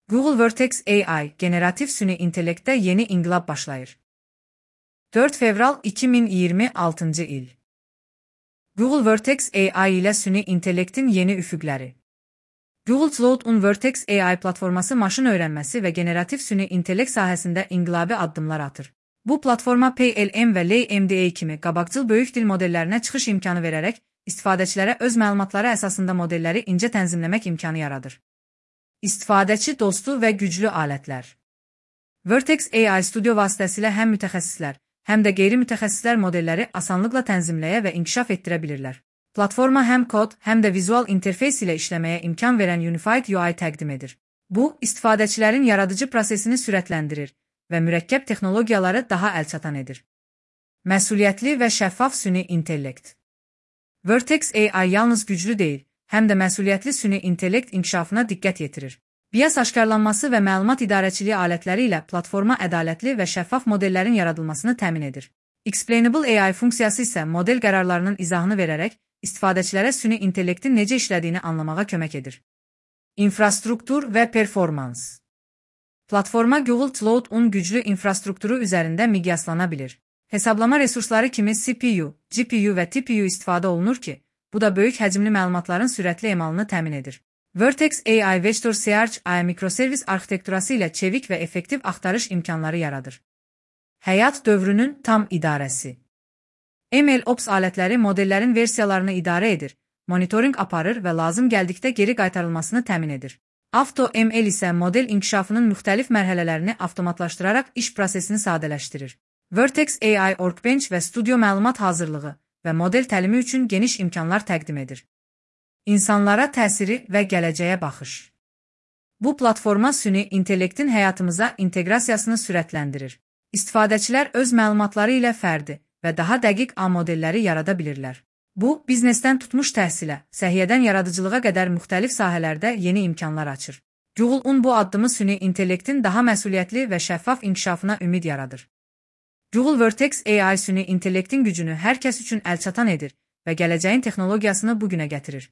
Google Vertex AI, generatif süni intellektdə yeni inqilab başlayır. 4 fevral 2026 il. Google Vertex AI ilə süni intellektin yeni üfüqləri. Google Cloud Vertex AI platforması maşın öyrənməsi və generativ süni intellekt sahəsində inqilabi addımlar atır. Bu platforma PLM və LaMDA kimi qabaqcıl böyük dil modellərinə çıxış imkanı verərək, istifadəçilərə öz məlumatları əsasında modelləri incə tənzimləmək imkanı yaradır. İstifadəçi dostu və güclü alətlər. Vertex AI Studio vasitəsilə həm mütəxəssislər, həm də qeyri-mütəxəssislər modelləri asanlıqla tənzimləyə və inkişaf etdirə bilirlər. Platforma həm kod, həm də vizual interfeys ilə işləməyə imkan verən Unified UI təqdim edir. Bu, istifadəçilərin yaradıcı prosesini sürətləndirir və mürəkkəb texnologiyaları daha əlçatan edir. Məsuliyyətli və şəffaf süni intellekt. Vertex AI yalnız güclü deyil, həm də məsuliyyətli süni intellekt inkişafına diqqət yetirir. BIAS aşkarlanması və məlumat idarəçiliyi alətləri ilə platforma ədalətli və şəffaf modellərin yaradılmasını təmin edir. Explainable AI funksiyası isə model qərarlarının izahını verərək, istifadəçilərə süni intellektin necə işlədiyini anlamağa kömək edir. İnfrastruktur və performans. Platforma Google Cloud-un güclü infrastrukturu üzərində miqyaslana bilir. Hesablama resursları kimi CPU, GPU və TPU istifadə olunur ki, bu da böyük həcmli məlumatların sürətli emalını təmin edir. Vertex AI Vector Search AI mikroservis arxitekturası ilə çevik və effektiv axtarış imkanları yaradır. Həyat dövrünün tam idarəsi. MLOps alətləri modellərin versiyalarını idarə edir, monitorinq aparır və lazım gəldikdə geri qaytarılmasını təmin edir. AutoML isə model inkişafının müxtəlif mərhələlərini avtomatlaşdıraraq iş prosesini sadələşdirir. Vertex AI Workbench və Studio məlumat hazırlığı və model təlimi üçün geniş imkanlar təqdim edir. İnsanlara təsiri və gələcəyə baxış. Bu platforma süni intellektin həyatımıza inteqrasiyasını sürətləndirir. İstifadəçilər öz məlumatları ilə fərdi və daha dəqiq A modelləri yarada bilirlər. Bu, biznesdən tutmuş təhsilə, səhiyyədən yaradıcılığa qədər müxtəlif sahələrdə yeni imkanlar açır. Google-un bu addımı süni intellektin daha məsuliyyətli və şəffaf inkişafına ümid yaradır. Google Vertex AI süni intellektin gücünü hər kəs üçün əlçatan edir və gələcəyin texnologiyasını bugünə gətirir.